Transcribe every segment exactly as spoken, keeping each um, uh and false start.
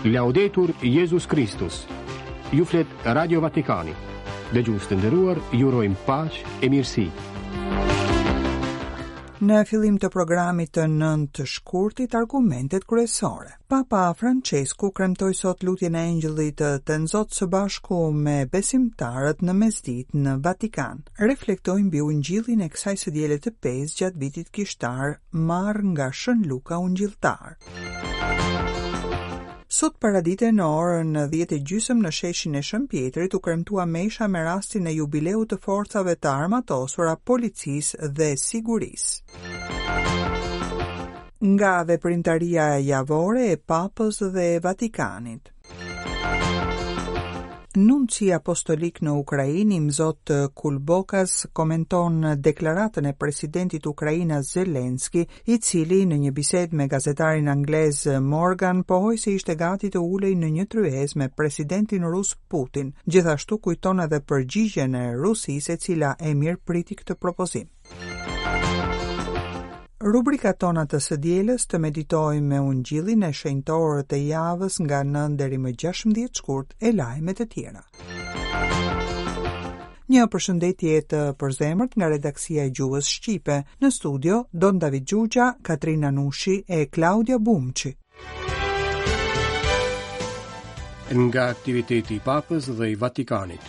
Laudetur Jezus Kristus. Ju flet Radio Vatikani. Dëgjues të nderuar, ju urojmë paqe e mirësi. Në fillim të programit të nëntë shkurtit, argumentet kryesore. Papa Francesku kremtoi sot lutjen e Engjëllit të Tënzot së bashku me besimtarët në mesditë në Vatikan. Reflektoi mbi ungjillin e kësaj së diele të pesë gjatë vitit kishtar, marrë nga Shën Luka Ungjilltar. Sot paradite në orën dhjetë e gjysmë në sheshin e Shën Pjetrit u kremtua mesha me rastin e jubileut të forcave të armatosura, policisë dhe sigurisë. Nga veprimtaria javore e Papës dhe e Vatikanit. Nunci apostolik në Ukrainë, Imzot Kulbokas, komenton deklaratën e presidentit ukrainas Zelenski, i cili në një bisedë me gazetarin anglez Morgan pohoi se ishte gati të ulej në një tryezë me presidentin rus Putin. Gjithashtu kujton edhe përgjigjen e Rusisë, e cila e mirëpriti këtë propozim. Rubrikat tona të së dielës: të meditojmë me ungjillin e shenjtorët e javës nga nëntë deri më gjashtëmbëdhjetë shkurt e lajme të tjera. Një përshëndetje të përzemërt nga redaksia e gjuhës shqipe. Në studio Don David Xhuxha, Katrina Nushi e Klaudia Bumçi. Nga aktiviteti i Papës dhe i Vatikanit.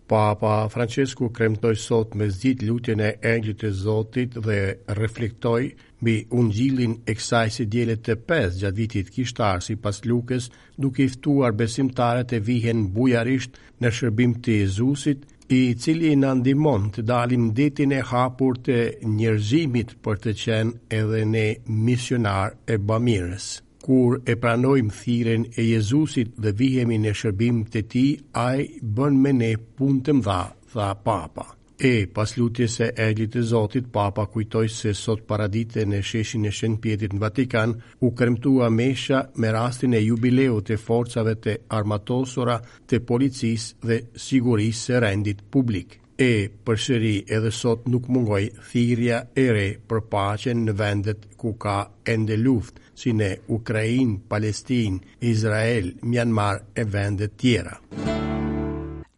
Papa Francesku kremtoi sot mesditë lutjen e Engjëllit të Zotit dhe reflektoi mbi ungjillin e kësaj së diele të pesë gjatë vitit kishtar sipas Lukës, duke i ftuar besimtarët e vihen bujarisht në shërbim të Jezusit, i cili na ndihmon të dalim detin e hapur të njerëzimit për të qenë edhe ne misionar e bamirës. Kur e pranojmë thirrjen e Jezusit dhe vihemi në shërbim të tij, ai bën me ne punë të mëdha, tha Papa. E pas lutjes së Engjëllit të Zotit, Papa kujtoi se sot paradite në sheshin e Shën Pjetrit në Vatikan u kremtua mesha me rastin e jubileut të forcave të armatosura të policisë dhe sigurisë së rendit publik. E përsëri edhe sot nuk mungoi thirrja e re për paqen në vendet ku ka ende luftë, si në Ukrainë, Palestinë, Izrael, Myanmar e vende tjera.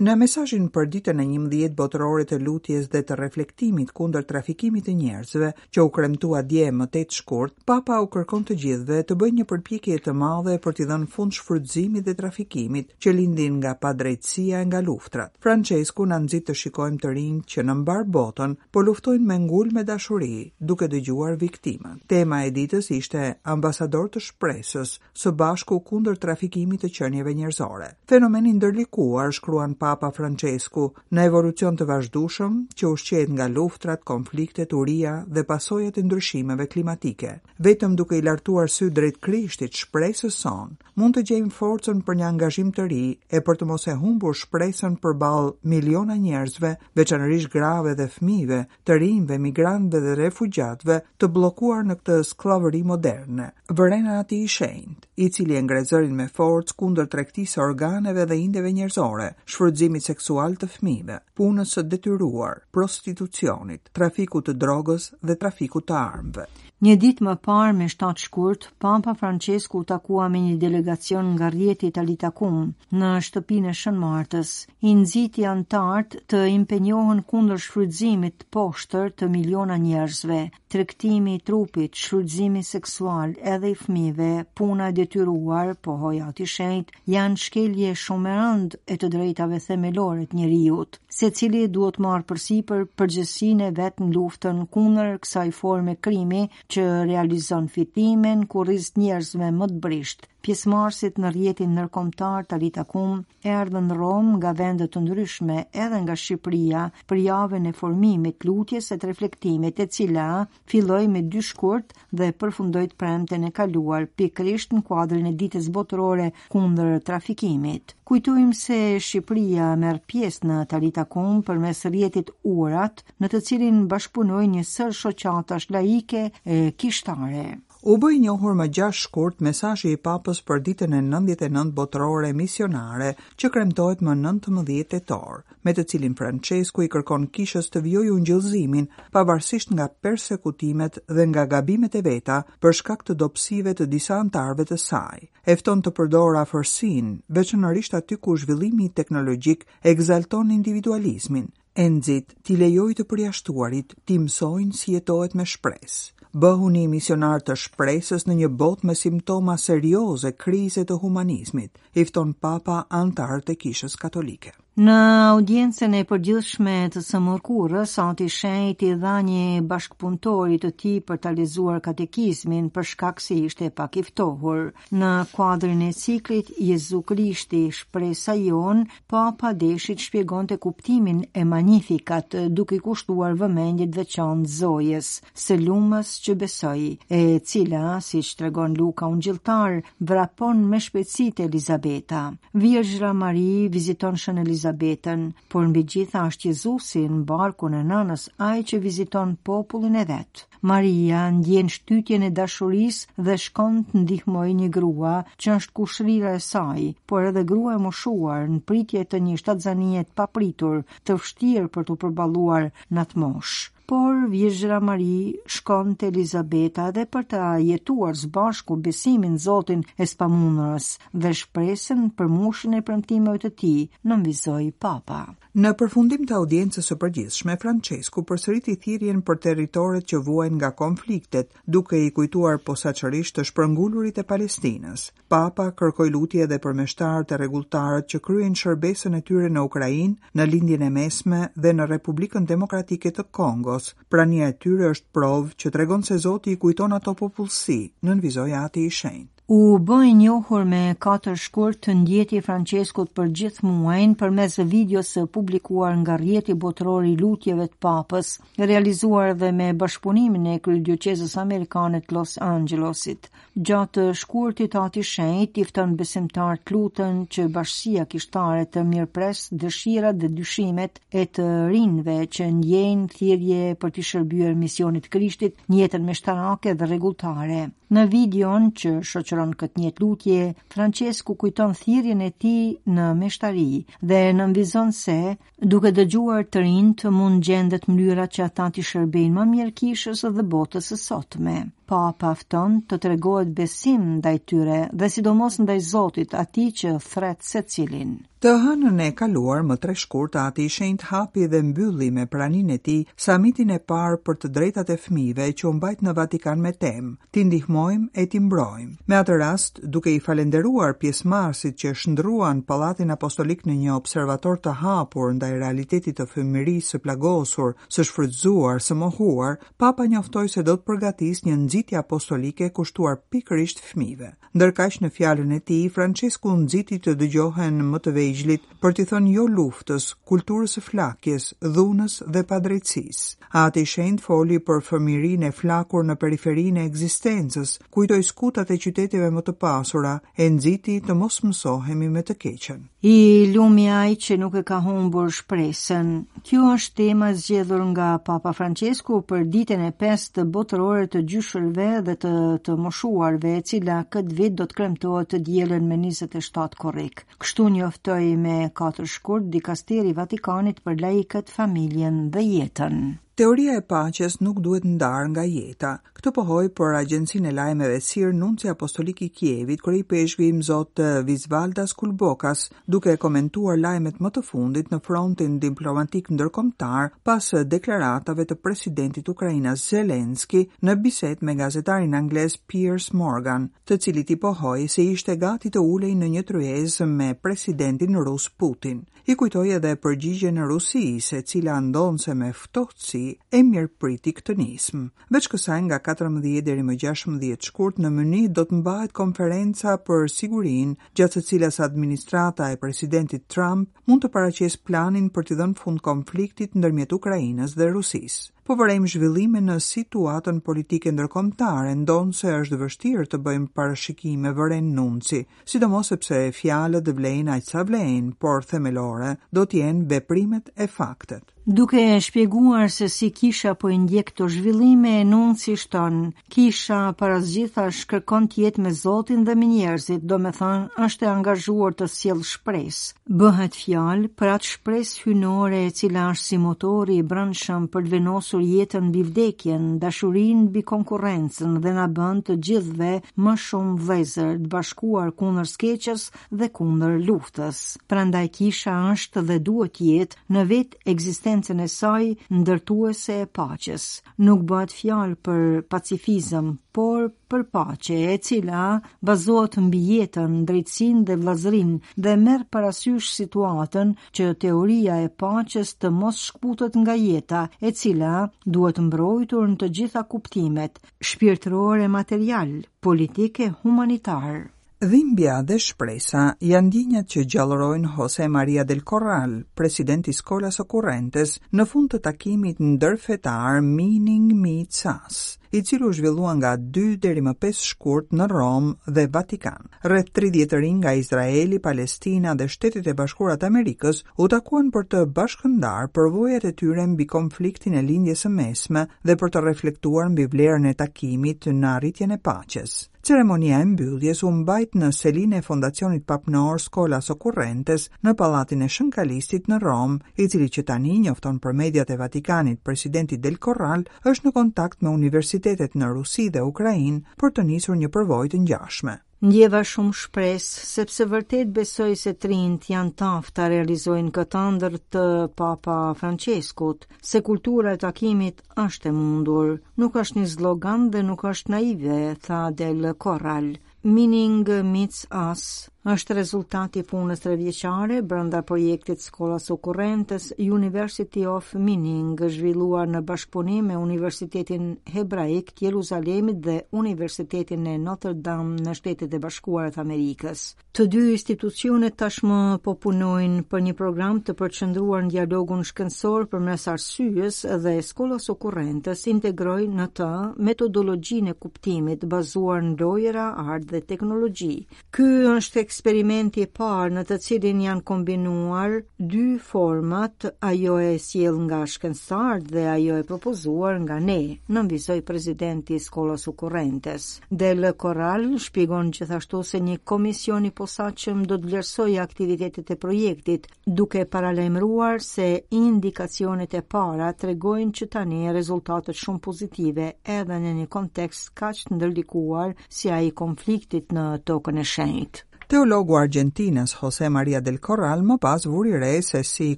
Në mesazhin për ditën e njëmbëdhjetë botërore të lutjes dhe të reflektimit kundër trafikimit të njerëzve, që u kremtua dje më tetë shkurt, Papa u kërkon të gjithëve të bëjnë një përpjekje të madhe për t'i dhënë fund shfrytëzimit dhe trafikimit që lindin nga padrejtësia e nga luftrat. Francesku na nxit të shikojmë të rinj që në mbar botën po luftojnë me ngulm e dashuri, duke dëgjuar viktimat. Tema e ditës ishte ambasador të shpresës, së bashku kundër trafikimit të qenieve njerëzore. Fenomeni ndërlikuar, shkruan Papa Francesku, në evolucion të vazhdueshëm që ushqehet nga luftrat, konfliktet, uria dhe pasojat e ndryshimeve klimatike. Vetëm duke i lartuar sy drejt Krishtit, shpresës sonë, mund të gjejmë forcën për një angazhim të ri e për të mos e humbur shpresën përballë miliona njerëzve, veçanërisht grave dhe fëmijëve, të rinjve, migrantëve dhe refugjatëve të bllokuar në këtë skllavëri moderne. Vëren Ati i Shenjtë, i cili e ngre zërin me forcë kundër tregtisë së organeve dhe indeve njerëzore, shfrytëzimit seksual të fëmijëve, punës së detyruar, prostitucionit, trafikut të drogës dhe trafikut të armëve. Një ditë më parë, me shtatë shkurt, Papa Francesku u takua me një delegacion nga rrjeti Talita Kum në shtëpinë e Shën Martës. I nxiti antarët të impenjohen kundër shfrytëzimit të poshtër të miliona njerëzve, tregtimi i trupit, shfrytëzimi seksual edhe i fëmijëve, puna e detyruar, pohoi Ati Shenjt, janë shkelje shumë e rëndë e të drejtave themelore të njeriut. Secili duhet marrë përsipër përgjegjësinë e vet në luftën kundër kësaj forme krimi që realizon fitimin ku rriz njerëzve më të brishtë. Pjesëmarrësit në rrjetin ndërkombëtar Talita Kum erdhën në Romë nga vende të ndryshme, edhe nga Shqipëria, për javën e formimit, lutjes e të reflektimit, e cila filloi me dy shkurt dhe përfundoi të premten e kaluar, pikërisht në kuadrin e ditës botërore kundër trafikimit. Kujtojmë se Shqipëria merr pjesë në Talita Kum përmes rrjetit Urat, në të cilin bashkëpunojnë një sërë shoqatash laike e kishtare. U bë i njohur më gjashtë shkurt mesazhi i Papës për ditën e nëntëdhjetë e nëntë botërore misionare që kremtohet më nëntëmbëdhjetë tetor, me të cilin Francesku i kërkon kishës të vijojë ungjillëzimin pavarësisht nga persekutimet dhe nga gabimet e veta për shkak të dobësive të disa anëtarëve të saj. E fton të përdorë afërsinë, veçanërisht aty ku zhvillimi teknologjik ekzalton individualizmin. E nxit t'i lejojë të përjashtuarit t'i mësojnë si jetohet me shpresë. Bëhuni misionar të shpresës në një botë me simptoma serioze krize të humanizmit, i fton Papa anëtarët e Kishës Katolike. Në audiencën e përgjithshme të së mërkurës, Ati i Shenjtë i dha një bashkëpunëtori të tij për ta lexuar katekizmin për shkak se ishte pak i ftohur. Në kuadrin e ciklit Jezu Krishti, shpresa jonë, Papa deshi të shpjegonte kuptimin e Magnificat, duke i kushtuar vëmendje të veçantë Zojës, së lumës që besoi, e cila, siç tregon Luka Ungjilltar, vrapon me shpejtësi te Elizabeta. Virgjra Mari viziton Shën Elizabetën, por mbi gjitha është Jezusi në barkun e nënës, ai që viziton popullin e vet. Maria ndjen shtytjen e dashurisë dhe shkon të ndihmojë një grua që është kushrira e saj, por edhe grua e moshuar në pritje të një shtatzanie të papritur, të vështirë për t'u përballuar në atë moshë. Por Virgjra Mari shkon te Elizabeta edhe për ta jetuar së bashku besimin në Zotin e spamundurës dhe shpresën për mushën e premtimeve të tij, nënvizoi Papa. Në përfundim të audiencës së përgjithshme, Francesku përsëriti thirrjen për territoret që vuajnë nga konfliktet, duke i kujtuar posaçërisht të shpërngulurit e Palestinës. Papa kërkoi lutje edhe për meshtarët e rregulltarët që kryejnë shërbesën e tyre në Ukrainë, në Lindjen e Mesme dhe në Republikën Demokratike të Kongos. Prania e tyre është provë që tregon se Zoti i kujton ato popullsi, nënvizoi Ati i Shenjtë. U bë i njohur me katër shkurt të ndjeti Franceskut për gjithë muajin përmes videos së publikuar nga rrjeti botëror i lutjeve të Papës, realizuar edhe me bashkëpunimin e Kryedioqezës Amerikane të Los Angelesit. Gjatë shkurtit Ati i Shenjtë i fton besimtarët të luten që bashkësia kishtare të mirëpres dëshirat dhe dyshimet e të rinjve që ndjejnë thirrje për t'i shërbyer misionit të Krishtit në jetën meshtarake dhe rregulltare. Në videon që shoqëron këtë një lutje, Francesku kujton thirrjen e tij në meshtari dhe nënvizon se, duke dëgjuar të rinjt, mund gjendet mënyra që ata t'i shërbejnë më mirë kishës dhe botës së sotme. Papa fton të tregohet besim ndaj tyre dhe sidomos ndaj Zotit, atij që thret secilin. Të hënën e kaluar më tre shkurt, Ati i Shenjtë hapi dhe mbylli me praninë e tij samitin e parë për të drejtat e fëmijëve që u mbajt në Vatikan me temë T'i ndihmojmë e t'i mbrojmë. Me atë rast, duke i falenderuar pjesëmarrësit që shndruan Pallatin Apostolik në një observator të hapur ndaj realitetit të fëmijërisë së plagosur, së shfrytëzuar, së mohuar, Papa njoftoi se do të përgatisë një nxitje apostolike kushtuar pikërisht fëmijëve. Ndërkaq në fjalën e tij, Francesku nxiti të dëgjohen më të vegjlit për t'i thënë jo luftës, kulturës së flakjes, dhunës dhe padrejtësisë. Ati i Shenjtë foli për fëmijërinë e flakur në periferinë e ekzistencës, kujtoi skutat e qyteteve më të pasura e nxiti të mos mësohemi me të keqen. I lumi ai që nuk e ka humbur shpresën. Kjo është tema zgjedhur nga Papa Francesku për ditën e pestë botërore të gjyshërve dhe të të moshuarve, e cila këtë vit do të kremtohet të dielën me njëzet e shtatë korrik. Kështu njoftoi me katër shkurt dikasteri i Vatikanit për laikët, familjen dhe jetën. Teoria e paqes nuk duhet ndarë nga jeta. Këtë pohoi për Agjencinë e Lajmeve Sir Nunci Apostolik i Kievit, kryeipeshkvi Imzot Visvaldas Kulbokas, duke komentuar lajmet më të fundit në frontin diplomatik ndërkombëtar pas deklaratave të presidentit ukrainas Zelenski në bisedë me gazetarin anglez Piers Morgan, të cilit i pohoi se ishte gati të ulej në një tryezë me presidentin rus Putin. I kujtoi edhe përgjigjen e Rusisë, e cila ndonse me ftohtësi e mirëpriti këtë nismë. Veç kësaj, nga katërmbëdhjetë deri më gjashtëmbëdhjetë shkurt në Mynih do të mbahet konferenca për sigurinë, gjatë së cilës administrata e presidentit Trump mund të paraqesë planin për t'i dhënë fund konfliktit ndërmjet Ukrainës dhe Rusisë. Po vërejmë zhvillime në situatën politike ndërkombëtare, ndonëse është vështirë të bëjmë parashikime, vëren nunci, sidomos sepse fjalët vlejnë aq sa vlejnë, por themelore do të jenë veprimet e faktet. Duke shpjeguar se si kisha po i ndjek këto zhvillime, nunci shton: Kisha para së gjithash kërkon të jetë me Zotin dhe me njerëzit, do me thënë është e angazhuar të sjellë shpresë. Bëhet fjalë për atë shpresë hyjnore e cila është si motori i brendshëm për të vendosur jetën mbi vdekjen, dashurinë mbi konkurrencën dhe na bën të gjithëve më shumë vëllezër të bashkuar kundër së keqes dhe kundër luftës. Prandaj kisha është dhe duhet të jetë në vetë ekzistencën e saj ndërtuese e paqes. Nuk bëhet fjalë për pacifizëm, por për paqe, e cila bazohet mbi jetën, drejtësinë dhe vëllazërinë dhe merr parasysh situatën që teoria e paqes të mos shkputet nga jeta, e cila duhet mbrojtur në të gjitha kuptimet, shpirtëror e material, politik e humanitar. Dhimbja dhe shpresa janë ndjenjat që gjallërojnë Jose Maria del Corral, presidenti i Scholas Occurrentes, në fund të takimit ndërfetar Meaning Meets Us, i cili u zhvillua nga dy deri më pesë shkurt në Romë dhe Vatikan. Rreth tridhjetë të rinj nga Izraeli, Palestina dhe Shtetet e Bashkuara të Amerikës u takuan për të bashkëndar përvojat e tyre mbi konfliktin e Lindjes së Mesme dhe për të reflektuar mbi vlerën e takimit në arritjen e paqes. Ceremonia e mbylljes u mbajt në selinë e Fondacionit Papnor Scholas Occurrentes në Pallatin e Shën Kalistit në Romë, i cili që tani njofton për mediat e Vatikanit presidenti Del Corral është në kontakt me universitetet në Rusi dhe Ukrainë për të nisur një përvojë të ngjashme. Ndjeva shumë shpresë, sepse vërtet besoj se të rinjt janë të aftë ta realizojnë këtë ëndër të Papa Franceskut, se kultura e takimit është e mundur, nuk është një slogan dhe nuk është naive, tha Del Corral. Meaning Meets Us është rezultati i punës trevjeçare brenda projektit Scholas Occurrentes University of Meaning, zhvilluar në bashkëpunim me Universitetin Hebraik të Jeruzalemit dhe Universitetin e Notre Dame në Shtetet e Bashkuara të Amerikës. Të dy institucionet tashmë po punojnë për një program të përqendruar në dialogun shkencor përmes arsyes dhe Scholas Occurrentes integroi në të metodologjinë e kuptimit bazuar në lojëra, art dhe teknologji. Ky është eksperimenti i parë në të cilin janë kombinuar dy format, ajo e sjell nga shkencëtarët dhe ajo e propozuar nga ne, nënvizoi presidenti i Scholas Occurrentes. Del Corral shpjegon gjithashtu se një komision i posaçëm do të vlerësojë aktivitetet e projektit, duke paralajmëruar se indikacionet e para tregojnë që tani rezultatet shumë pozitive edhe në një kontekst kaq të ndërlikuar si ai i konfliktit në tokën e shenjtë. Teologu argjentinas Jose Maria del Corral më pas vuri re se si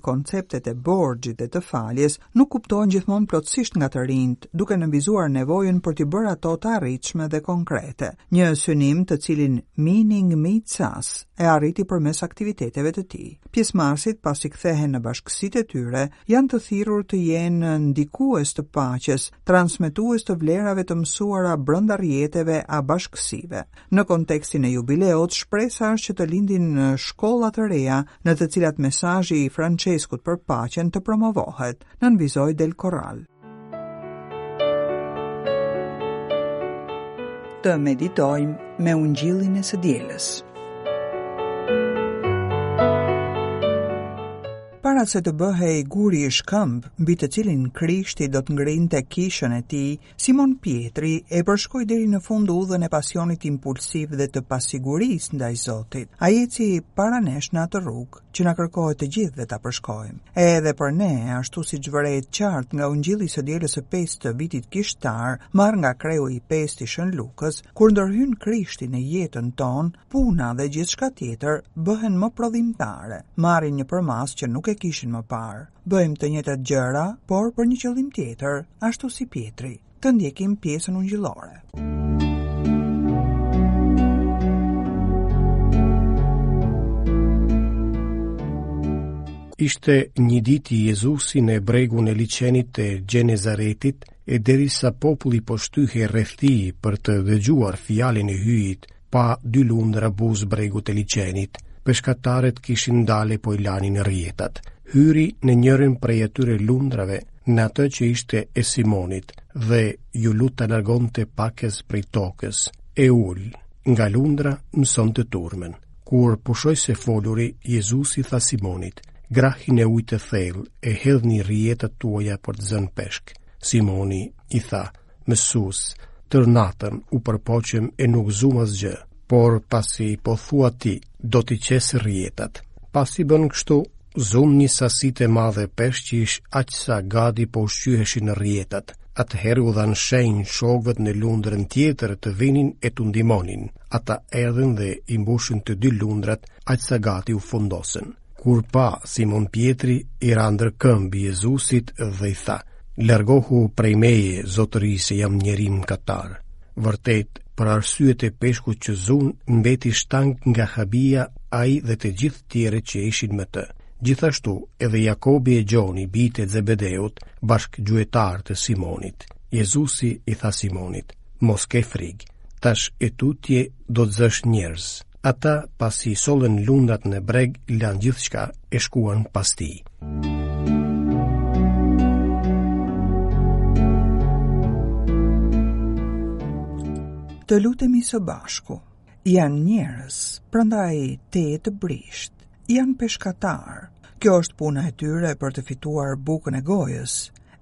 konceptet e borxhit dhe të faljes nuk kuptohen gjithmonë plotësisht nga të rinjt, duke nënvizuar nevojën për t'i bërë ato të arritshme dhe konkrete. Një synim të cilin Meaning Meets Us e arriti përmes aktiviteteve të tij. Pjesëmarrësit, pasi kthehen në bashkësitë e tyre, janë të thirrur të jenë ndikues të paqes, transmetues të vlerave të mësuara brenda rrjeteve a bashkësive. Në kontekstin e jubileut, shpresa është që të lindin shkolla të reja në të cilat mesazhi i Franceskut për paqen të promovohet, nënvizoi Del Corral. Të meditojmë me ungjillin e së dielës. Para se të bëhej guri i shkëmb, mbi të cilin Krishti do të ngrinte kishën e tij, Simon Pietri e përshkoi deri në fund udhën e pasionit impulsiv dhe të pasigurisë ndaj Zotit. Ai eci para nesh në atë rrugë që na kërkohet të gjithëve ta përshkojmë. Edhe për ne, ashtu siç vërehet qartë nga Ungjilli i së dielës së pestë të vitit kishtar, marr nga kreu i pestë i Shën Lukës, kur ndërhyn Krishti në jetën tonë, puna dhe gjithçka tjetër bëhen më prodhimtare, marrin një përmasë që nuk e kishin më parë. Bëjmë të njëjtat gjëra, por për një qëllim tjetër, ashtu si Pietri. Të ndjekim pjesën ungjillore. Ishte një ditë Jezusi në bregun e liqenit të Gjenezaretit, e derisa populli po shtyhej rreth tij për të dëgjuar fjalën e Hyjit, pa dy lundra buzë bregut të liqenit. Peshkatarët kishin ndale po i lanin rrjetat. Hyri në njërin prej atyre lundrave në atë që ishte e Simonit, dhe iu lut ta largonte pakës prej tokës. E ul, nga lundra mësonte turmën. Kur pushoi së foluri, Jezusi tha Simonit: "Grahini në ujë të thellë e hedhni rrjetat tuaja për të zënë peshk." Simoni i tha: "Mësues, tërë natën u përpoqëm e nuk zumë asgjë, por pasi po thua ti, do t'i qes rrjetat." Pasi bën kështu, zunë një sasi të madhe peshqish, aq sa gati po ushqyheshin në rrjetat. Atëherë u dhanë shenjë shokëve në lundrën tjetër të vinin e t'u ndihmonin. Ata erdhën dhe i mbushën të dy lundrat, aq sa gati u fundosën. Kur pa Simon Pjetri, i ra ndër këmbë Jezusit dhe i tha: "Largohu prej meje, zotëri, se jam njeri mëkatar." Vërtet, për arsyet e peshkut që zunë, mbeti shtang nga habia ai dhe të gjithë tjerët që ishin me të. Gjithashtu edhe Jakobi e Gjoni, bijtë e Zebedeut, bashkëgjuetarë të Simonit. Jezusi i tha Simonit: "Mos ke frikë, tash e tutje do të zësh njerëz." Ata, pasi sollën lundrat në breg, lanë gjithçka e shkuan pas tij. Të lutemi së bashku. Janë njerëz, prandaj te të brisht. Janë peshkatar. Kjo është puna e tyre për të fituar bukën e gojës.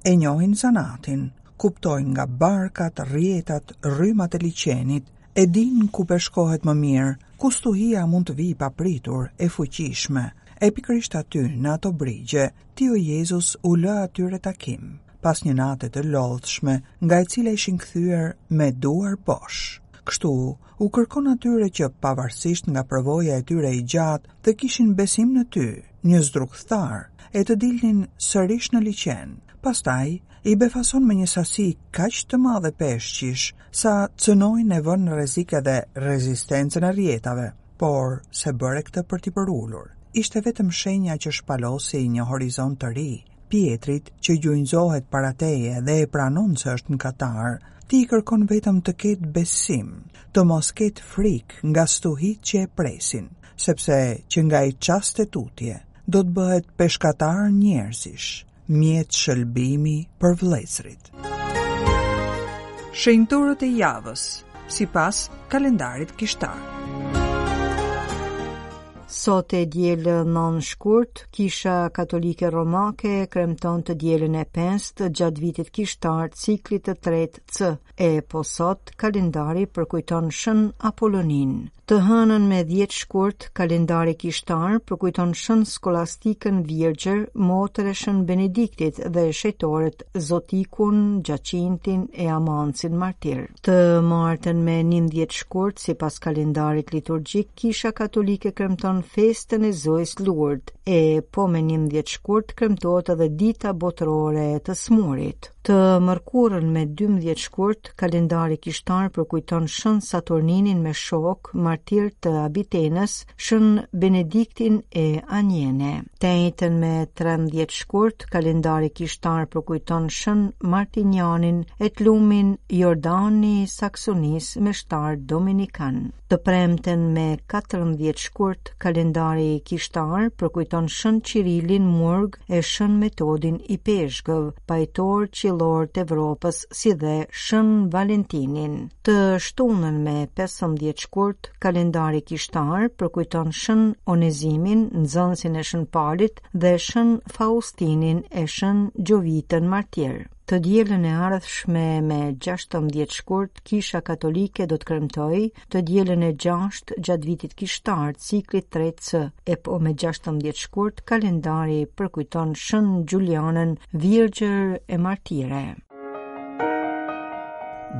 E njohin zanatin, kuptojnë nga barkat, rrjetat, rrymat e liqenit, e dinë ku peshkohet më mirë, ku stuhia mund të vijë papritur, e fuqishme. E pikërisht aty, në ato brigje, ti o Jezus u lë atyre takim, pas një nate të lodhshme, nga e cila ishin kthyer me duar bosh. Kështu, u kërkon atyre që pavarësisht nga përvoja e tyre e gjatë, të kishin besim në ty, një zdrukthtar, e të dilnin sërish në liqen. Pastaj, i befason me një sasi kaq të madhe peshqish, sa cënojnë e vënë në rrezik edhe rezistencën e rrjetave, por se bëre këtë për t'i përulur. Ishte vetëm shenja që shpalosi një horizont të ri. Pietrit, që gjunjëzohet para teje dhe e pranon se është mëkatar, ti i kërkon vetëm të ketë besim, të mos ketë frikë nga stuhit që e presin, sepse që nga i çast e tutje do të bëhet peshkatar njerëzish, mjet shëlbimi për vëllezërit. Shenjtorët e javës, sipas kalendarit kishtar. Sot e dielë nëntë shkurt, Kisha Katolike Romake kremton të dielën e pestë gjatë vitit kishtar ciklit të tretë C, e po sot kalendari përkujton Shën Apollonin. Të hënën me dhjetë shkurt, kalendari kishtar përkujton Shën Skolastikën Virgjër, motër e Shën Benediktit dhe shejtorët Zotikun, Gjacintin e Amancin martir. Të martën me njëmbëdhjetë shkurt, sipas kalendarit liturgjik, Kisha Katolike kremton festën e Zojës Lourdes, e po me njëmbëdhjetë shkurt kremtohet edhe Dita Botërore e të Smurit. Të mërkurën me dymbëdhjetë shkurt, kalendari kishtar përkujton Shën Saturninin me shok, martir të Abitenës, Shën Benediktin e Anjene. Të enjten me trembëdhjetë shkurt, kalendari kishtar përkujton Shën Martinianin e të lumin Jordani Saksonis me shtar Dominikan. Të premten me katërmbëdhjetë shkurt, kalendari kishtar përkujton Shën Qirilin Murg e Shën Metodin i Peshkëv, pajtor qillor të Evropës, si dhe Shën Valentinin. Të shtunën me pesëmbëdhjetë shkurt, kalendari kishtar përkujton Shën Onezimin, nxënësin e Shën Palit, dhe Shën Faustinin e Shën Gjovitën martir. Të dielën e ardhshme me gjashtëmbëdhjetë shkurt, Kisha Katolike do të kremtojë të dielën e gjashtë gjatë vitit kishtar, ciklit tre C, e po me gjashtëmbëdhjetë shkurt kalendari përkujton Shën Giulianën, Virgjër e Martire.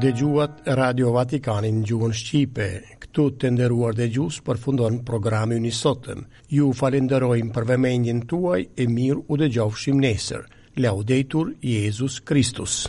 Dëgjuat Radio Vatikanin në gjuhën shqipe. Këtu të nderuar dëgjues përfundon programi ynë i sotëm. Ju falenderojmë për vëmendjen tuaj e mirë u dëgjofshim nesër. Laudetur Jezus Christus.